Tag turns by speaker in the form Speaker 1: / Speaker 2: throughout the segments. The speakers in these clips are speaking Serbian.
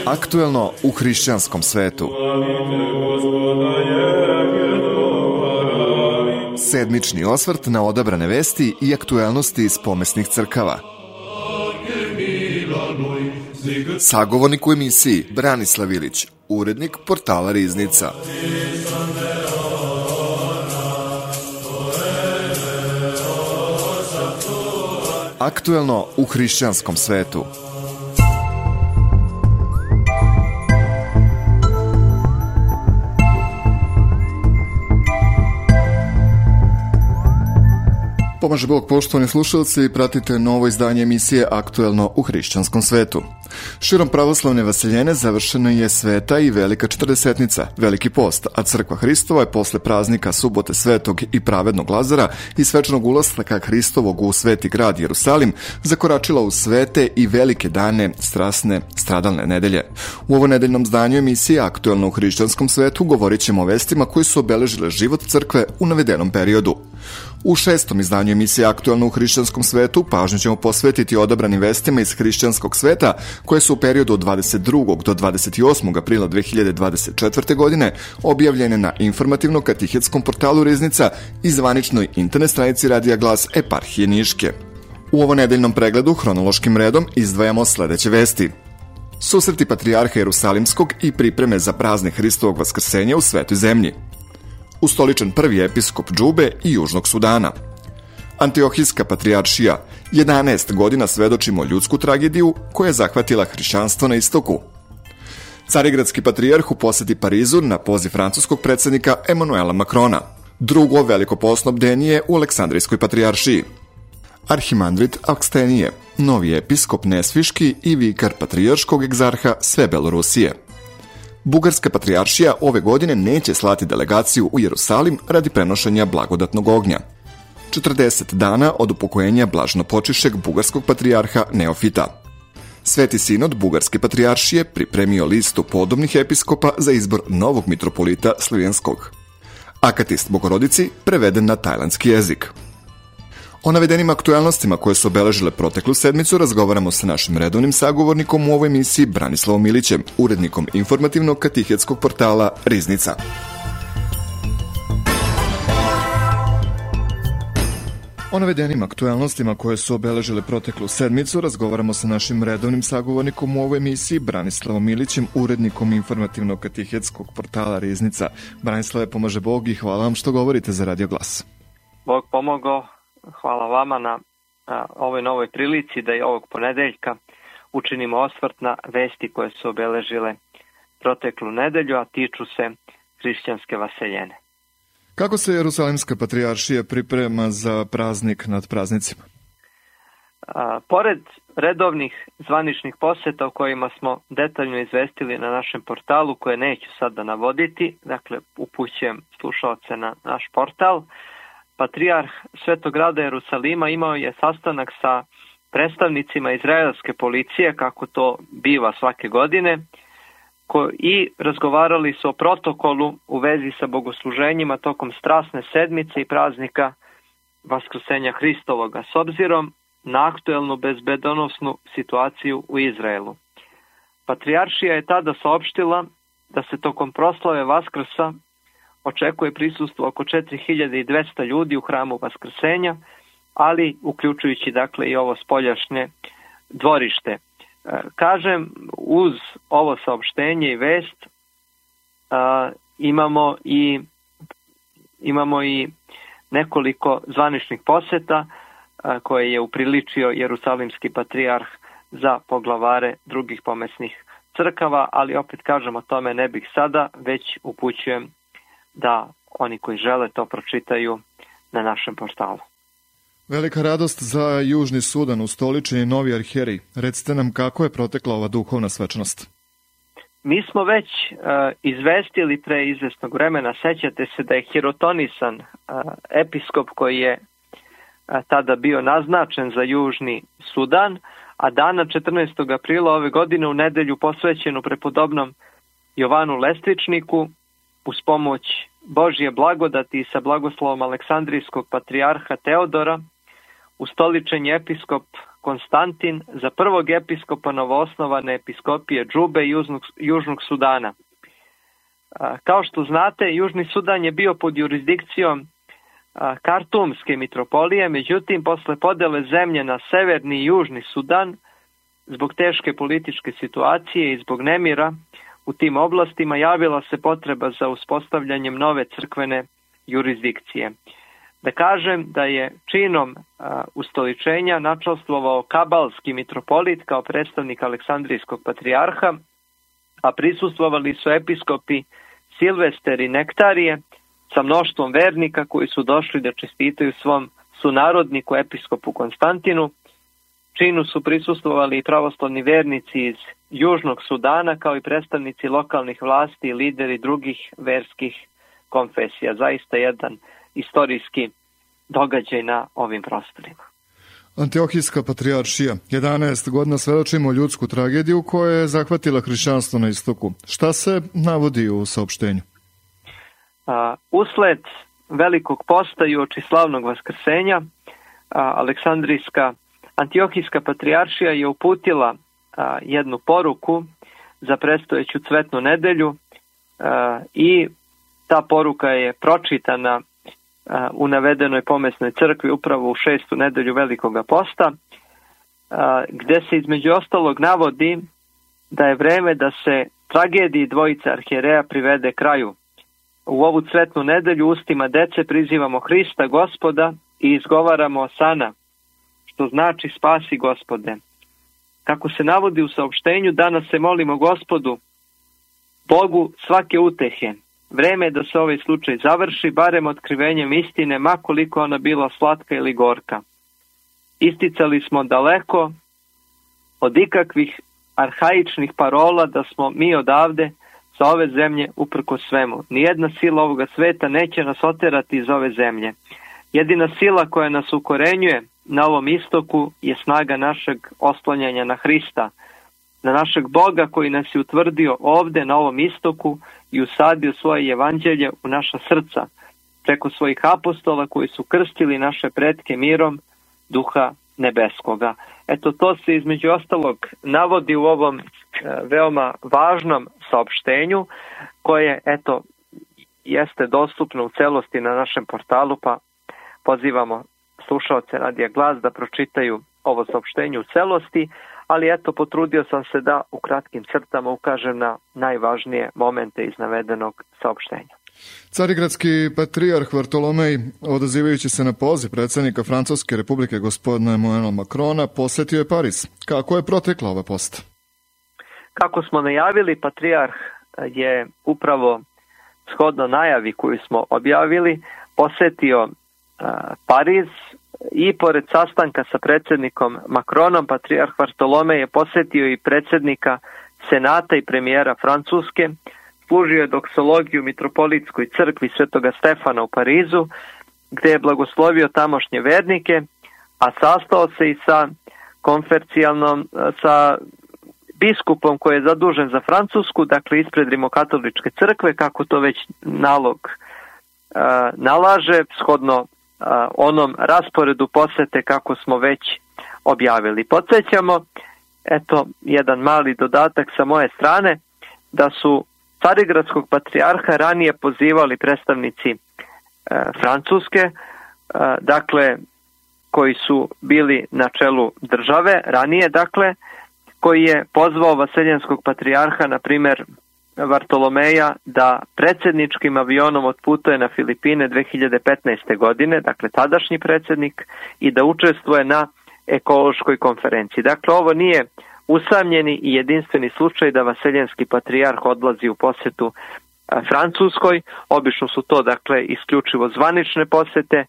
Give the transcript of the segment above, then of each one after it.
Speaker 1: Aktuelno u hrišćanskom svetu. Sedmični osvrt na odabrane vesti i aktuelnosti iz pomesnih crkava. Sagovornik u emisiji Branislav Ilić, urednik portala Riznica. Aktuelno u hrišćanskom svetu. Pomaže Bog, poštovani slušalci, pratite novo izdanje emisije Aktuelno u hrišćanskom svetu. Širom pravoslavne vaseljene završena je Sveta i Velika Četrdesetnica, Veliki post, a Crkva Hristova je posle praznika Subote Svetog i Pravednog Lazara i svečanog ulaska Hristovog u Sveti grad Jerusalim zakoračila u svete i velike dane strasne stradalne nedelje. U ovo nedeljnom zdanju emisije Aktuelno u hrišćanskom svetu govorit ćemo o vestima koji su obeležile život crkve u navedenom periodu. U šestom izdanju emisije Aktuelno u hrišćanskom svetu pažnju ćemo posvetiti odabranim vestima iz hrišćanskog sveta koje su u periodu od 22. do 28. aprila 2024. godine objavljene na informativno-katihetskom portalu Riznica i zvaničnoj internet stranici Radija Glas Eparhije Niške. U ovo nedeljnom pregledu hronološkim redom izdvajamo sledeće vesti. Susreti patrijarha Jerusalimskog i pripreme za praznik Hristovog vaskrsenja u Svetoj zemlji. Ustoličen prvi episkop Džube i Južnog Sudana. Antiohijska patrijaršija, 11 godina svedočimo ljudsku tragediju koja je zahvatila hrišćanstvo na istoku. Carigradski patrijarh u poseti Parizu na poziv francuskog predsjednika Emanuela Macrona. Drugo veliko posno bdenje u Aleksandrijskoj patrijaršiji. Arhimandrit Akstenije, novi episkop Nesviški i vikar patrijarškog egzarha sve Belorusije. Bugarska patrijaršija ove godine neće slati delegaciju u Jerusalim radi prenošenja blagodatnog ognja. 40 dana od upokojenja blažnopočišćeg bugarskog patrijarha Neofita. Sveti sinod Bugarske patrijaršije pripremio listu podobnih episkopa za izbor novog mitropolita Slivenskog. Akatist Bogorodici preveden na tajlandski jezik. O navedenim aktuelnostima koje su obeležile proteklu sedmicu razgovaramo sa našim redovnim sagovornikom u ovoj emisiji Branislavom Ilićem, urednikom informativnog katihetskog portala Riznica. O navedenim aktuelnostima koje su obeležile proteklu sedmicu razgovaramo sa našim redovnim sagovornikom u ovoj emisiji Branislavom Ilićem, urednikom informativnog katihetskog portala Riznica. Branislave, pomaže Bog i hvala vam što govorite za Radio Glas.
Speaker 2: Bog pomogao. Hvala vama na ovoj novoj prilici da i ovog ponedeljka učinimo osvrt na vesti koje su obeležile proteklu nedelju, a tiču se hrišćanske vaseljene.
Speaker 1: Kako se Jerusalimska patrijaršija priprema za praznik nad praznicima?
Speaker 2: Pored redovnih zvaničnih poseta o kojima smo detaljno izvestili na našem portalu, koje neću sad da navoditi, dakle upućujem slušaoce na naš portal, Patrijarh Svetog grada Jerusalima imao je sastanak sa predstavnicima izraelske policije, kako to biva svake godine, i razgovarali su o protokolu u vezi sa bogosluženjima tokom strasne sedmice i praznika Vaskrsenja Hristovoga, s obzirom na aktuelnu bezbedonosnu situaciju u Izraelu. Patrijaršija je tada saopštila da se tokom proslave Vaskrsa očekuje prisustvo oko 4200 ljudi u hramu Vaskrsenja, ali uključujući dakle i ovo spoljašnje dvorište. Kažem, uz ovo saopštenje i vest imamo i nekoliko zvaničnih poseta koje je upriličio Jerusalimski patrijarh za poglavare drugih pomesnih crkava, ali opet kažem, o tome ne bih sada, već upućujem da oni koji žele to pročitaju na našem portalu.
Speaker 1: Velika radost za Južni Sudan, ustoličen je novi arhijerij. Recite nam kako je protekla ova duhovna svečanost.
Speaker 2: Mi smo već izvestili pre izvesnog vremena, sećate se da je Hirotonisan, episkop koji je tada bio naznačen za Južni Sudan, a dana 14. aprila ove godine u nedelju posvećenu prepodobnom Jovanu Lestvičniku, uz pomoć Božje blagodati i sa blagoslovom Aleksandrijskog patrijarha Teodora, ustoličen je episkop Konstantin za prvog episkopa novoosnovane episkopije Džube i Južnog Sudana. Kao što znate, Južni Sudan je bio pod jurisdikcijom Kartumske mitropolije, međutim, posle podele zemlje na Severni i Južni Sudan, zbog teške političke situacije i zbog nemira u tim oblastima, javila se potreba za uspostavljanjem nove crkvene jurisdikcije. Da kažem da je činom ustoličenja načastvovao kabalski mitropolit kao predstavnik Aleksandrijskog patrijarha, a prisustvovali su episkopi Silvester i Nektarije sa mnoštvom vernika koji su došli da čestitaju svom sunarodniku episkopu Konstantinu. Činu su prisustvovali i pravoslavni vernici iz Južnog Sudana, kao i predstavnici lokalnih vlasti i lideri drugih verskih konfesija. Zaista jedan istorijski događaj na ovim prostorima.
Speaker 1: Antiohijska patrijaršija. 11 godina svedočimo ljudsku tragediju koja je zahvatila hrišćanstvo na istoku. Šta se navodi u saopštenju?
Speaker 2: Usled velikog posta i uoči slavnog vaskrsenja, Antiohijska patrijaršija je uputila jednu poruku za predstojeću cvetnu nedelju i ta poruka je pročitana u navedenoj pomesnoj crkvi upravo u 6. nedelju Velikoga posta, gde se između ostalog navodi da je vreme da se tragediji dvojice arhijereja privede kraju. U ovu cvetnu nedelju ustima dece prizivamo Hrista Gospoda i izgovaramo Osana, što znači spasi Gospode. Kako se navodi u saopštenju, danas se molimo Gospodu, Bogu svake utehe. Vreme je da se ovaj slučaj završi, barem otkrivenjem istine, ma koliko ona bila slatka ili gorka. Isticali smo daleko od ikakvih arhaičnih parola da smo mi odavde sa ove zemlje uprko svemu. Nijedna sila ovoga sveta neće nas oterati iz ove zemlje. Jedina sila koja nas ukorenjuje na ovom istoku je snaga našeg oslanjanja na Hrista, na našeg Boga koji nas je utvrdio ovde na ovom istoku i usadio svoje evanđelje u naša srca, preko svojih apostola koji su krstili naše pretke mirom Duha Nebeskoga. Eto, to se između ostalog navodi u ovom veoma važnom saopštenju, koje, eto, jeste dostupno u celosti na našem portalu, pa pozivamo slušaoce Radija Glas da pročitaju ovo saopštenje u celosti, ali eto, potrudio sam se da u kratkim crtama ukažem na najvažnije momente iz navedenog saopštenja.
Speaker 1: Carigradski patrijarh Vartolomej, odazivajući se na poziv predsjednika Francuske republike gospodina Emmanuela Macrona, posjetio je Pariz. Kako je protekla ova poseta?
Speaker 2: Kako smo najavili, patrijarh je upravo shodno najavi koju smo objavili posjetio Pariz i pored sastanka sa predsjednikom Macronom, patrijarh Vartolomej je posjetio i predsjednika Senata i premijera Francuske, služio je doksologiju mitropolitskoj crkvi Svetoga Stefana u Parizu, gdje je blagoslovio tamošnje vernike, a sastao se i sa sa biskupom koji je zadužen za Francusku, dakle ispred Rimokatoličke crkve, kako to već nalog nalaže, shodno onom rasporedu posete kako smo već objavili. Podsjećamo, eto, jedan mali dodatak sa moje strane, da su Carigradskog patrijarha ranije pozivali predstavnici Francuske, dakle, koji su bili na čelu države ranije, dakle, koji je pozvao vaseljenskog patrijarha, na primjer Vartolomeja, da predsjedničkim avionom otputuje na Filipine 2015. godine, dakle tadašnji predsjednik, i da učestvuje na ekološkoj konferenciji. Dakle, ovo nije usamljeni i jedinstveni slučaj da vaseljenski patrijarh odlazi u posjetu Francuskoj. Obično su to, dakle, isključivo zvanične posjete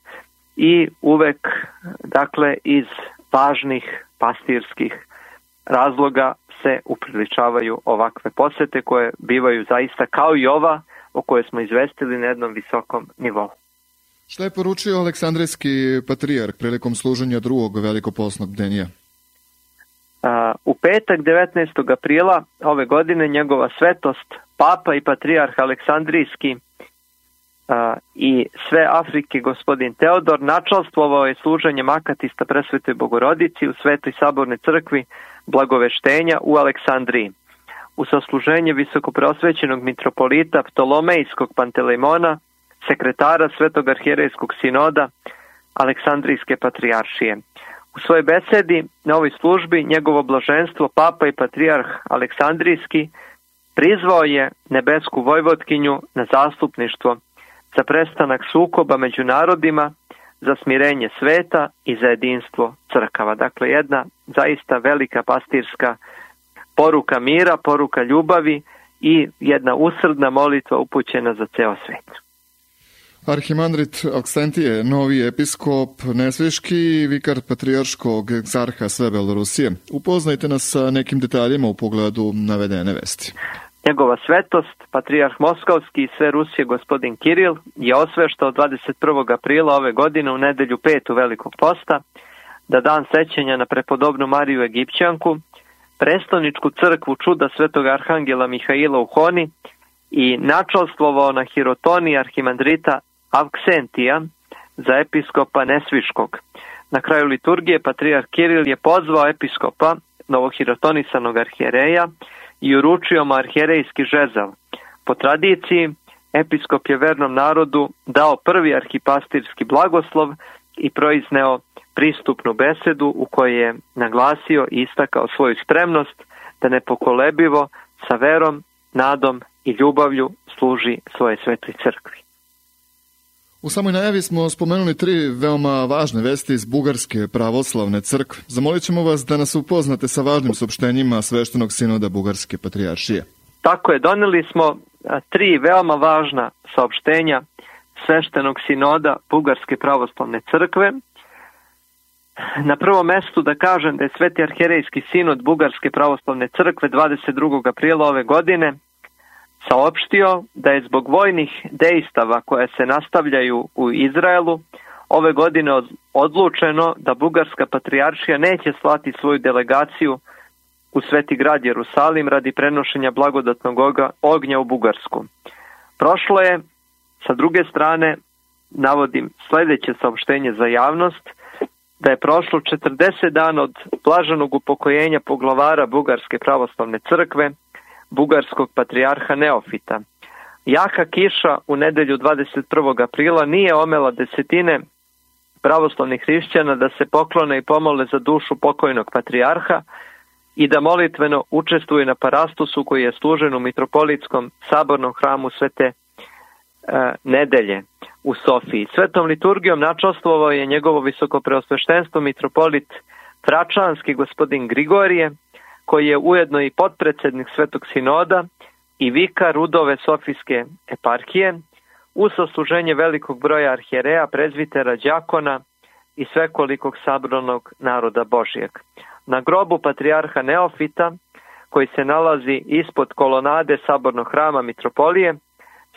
Speaker 2: i uvek, dakle, iz važnih pastirskih razloga se upriličavaju ovakve posjete koje bivaju zaista kao i ova o kojoj smo izvestili na jednom visokom nivou.
Speaker 1: Šta je poručio Aleksandrijski patrijarh prilikom služenja drugog velikopostnog bdenja?
Speaker 2: U petak 19. aprila ove godine njegova svetost, papa i patrijarh Aleksandrijski i sve Afrike gospodin Teodor, načalstvovao je služenjem akatista presvetoj Bogorodici u Svetoj sabornoj crkvi Blagoveštenja u Aleksandriji. U sasluženje visokopreosvećenog mitropolita Ptolomejskog Pantelejmona, sekretara Svetog arhijerejskog sinoda Aleksandrijske patrijaršije. U svojoj besedi na ovoj službi njegovo blaženstvo Papa i patrijarh Aleksandrijski prizvao je nebesku vojvotkinju na zastupništvo za prestanak sukoba među narodima, za smirenje sveta i za jedinstvo crkava. Dakle, jedna zaista velika pastirska poruka mira, poruka ljubavi i jedna usrdna molitva upućena za ceo svet.
Speaker 1: Arhimandrit Aksentije, novi episkop Nesveški i vikar patrijarškog egzarha sve Belorusije. Upoznajte nas sa nekim detaljima u pogledu navedene vesti.
Speaker 2: Njegova svetost, patrijarh Moskovski i sve Rusije gospodin Kiril, je osveštao 21. aprila ove godine u nedelju 5. Velikog posta, da dan sećanja na prepodobnu Mariju Egipćanku, prestoničku crkvu čuda svetog arhangela Mihaila u Honi i načalstvovao na hirotoni arhimandrita Avksentija za episkopa Nesviškog. Na kraju liturgije patrijarh Kiril je pozvao episkopa, novohirotonisanog arhijereja, i uručio mu arhijerejski žezal. Po tradiciji, episkop je vernom narodu dao prvi arhipastirski blagoslov i proizneo pristupnu besedu u kojoj je naglasio i istakao svoju spremnost da nepokolebivo sa verom, nadom i ljubavlju služi svoje svetoj crkvi.
Speaker 1: U samoj najavi smo spomenuli 3 veoma važne vesti iz Bugarske pravoslavne crkve. Zamolit ćemo vas da nas upoznate sa važnim saopštenjima Sveštenog sinoda Bugarske patrijaršije.
Speaker 2: Tako je, doneli smo 3 veoma važna saopštenja Sveštenog sinoda Bugarske pravoslavne crkve. Na prvom mestu da kažem da je Sveti arhijerejski sinod Bugarske pravoslavne crkve 22. aprila ove godine saopštio da je zbog vojnih dejstava koje se nastavljaju u Izraelu ove godine odlučeno da Bugarska patrijaršija neće slati svoju delegaciju u Sveti grad Jerusalim radi prenošenja blagodatnog ognja u Bugarsku. Prošlo je, sa druge strane, navodim sljedeće saopštenje za javnost, da je prošlo 40 dana od blaženog upokojenja poglavara Bugarske pravoslavne crkve, bugarskog patrijarha Neofita. Jaka kiša u nedelju 21. aprila nije omela desetine pravoslavnih hrišćana da se poklone i pomole za dušu pokojnog patrijarha i da molitveno učestvuju na parastosu koji je služen u mitropolitskom sabornom hramu Svete nedelje u Sofiji. Svetom liturgijom načastvovao je njegovo visokopreosveštenstvo mitropolit Tračanski gospodin Grigorije, koji je ujedno i potpredsednik Svetog sinoda i vikar Rudove Sofijske eparhije, uz sasluženje velikog broja arhijereja, prezbitera, đakona i svekolikog sabranog naroda Božijeg. Na grobu patrijarha Neofita, koji se nalazi ispod kolonade sabornog hrama mitropolije,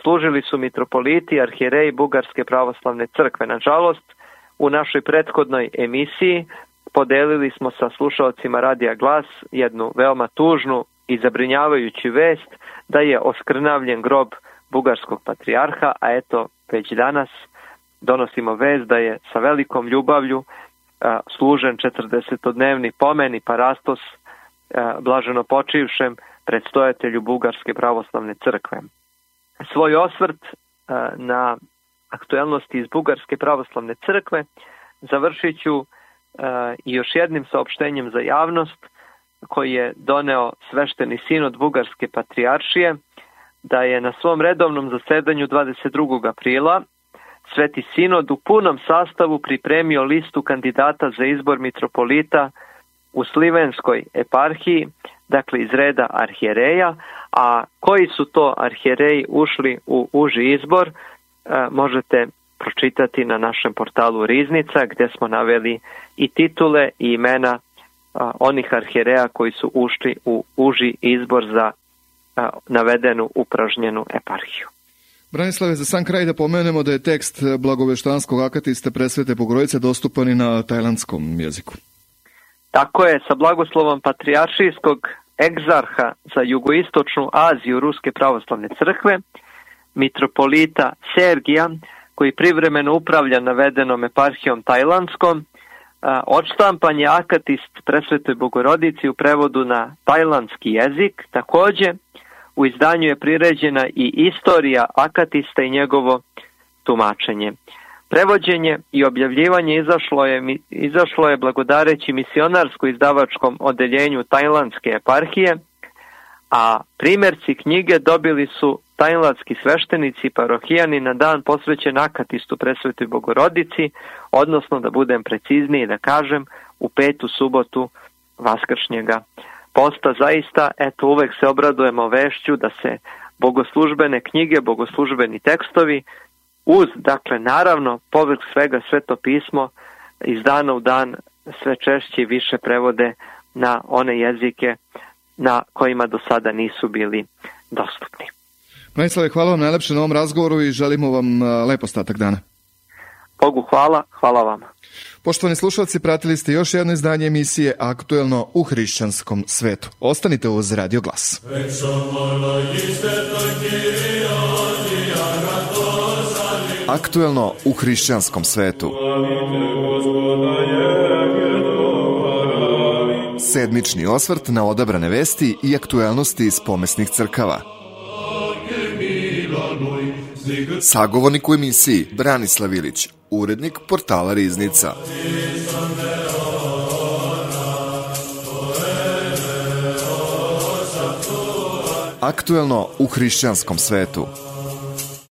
Speaker 2: služili su mitropoliti i arhijereji Bugarske pravoslavne crkve. Nažalost, u našoj prethodnoj emisiji podelili smo sa slušalcima Radija Glas jednu veoma tužnu i zabrinjavajuću vest da je oskrnavljen grob bugarskog patrijarha, a eto već danas donosimo vest da je sa velikom ljubavlju služen 40-dnevni pomen i parastos blaženo počivšem predstojatelju Bugarske pravoslavne crkve. Svoj osvrt na aktuelnosti iz Bugarske pravoslavne crkve završit ću i još jednim saopštenjem za javnost koji je doneo Svešteni sinod Bugarske patrijaršije, da je na svom redovnom zasedanju 22. aprila Sveti sinod u punom sastavu pripremio listu kandidata za izbor mitropolita u Slivenskoj eparhiji, dakle iz reda arhijereja, a koji su to arhijereji ušli u uži izbor možete pročitati na našem portalu Riznica, gdje smo naveli i titule i imena onih arhijereja koji su ušli u uži izbor za navedenu upražnjenu eparhiju.
Speaker 1: Branislave, za sam kraj da pomenemo da je tekst blagoveštanskog akatiste presvete Bogorodice dostupan i na tajlandskom jeziku.
Speaker 2: Tako je, sa blagoslovom patrijaršijskog egzarha za jugoistočnu Aziju Ruske pravoslavne crkve, mitropolita Sergija, koji privremeno upravlja navedenom eparhijom tajlandskom. Odštampan je Akatist Presvetoj Bogorodici u prevodu na tajlandski jezik. Također, u izdanju je priređena i istorija Akatista i njegovo tumačenje. Prevođenje i objavljivanje izašlo je blagodareći misionarsko-izdavačkom odeljenju tajlandske eparhije, a primjerci knjige dobili su tajlandski sveštenici i parohijani na dan posvećen Akatistu Presvetoj Bogorodici, odnosno, da budem precizniji da kažem, u 5. subotu Vaskršnjega posta. Zaista, eto, uvek se obradujemo vešću da se bogoslužbene knjige, bogoslužbeni tekstovi uz, dakle, naravno, povrh svega Sveto pismo iz dana u dan sve češće i više prevode na one jezike na kojima do sada nisu bili dostupni.
Speaker 1: Branislave, hvala vam najlepše na ovom razgovoru i želimo vam lep ostatak dana.
Speaker 2: Bogu hvala, hvala vama.
Speaker 1: Poštovani slušalci, pratili ste još jedno izdanje emisije Aktuelno u hrišćanskom svetu. Ostanite uz Radio Glas. Aktuelno u hrišćanskom svetu. Sedmični osvrt na odabrane vesti i aktuelnosti iz pomesnih crkava. Sagovornik u emisiji Branislav Ilić, urednik portala Riznica. Aktuelno u hrišćanskom svetu.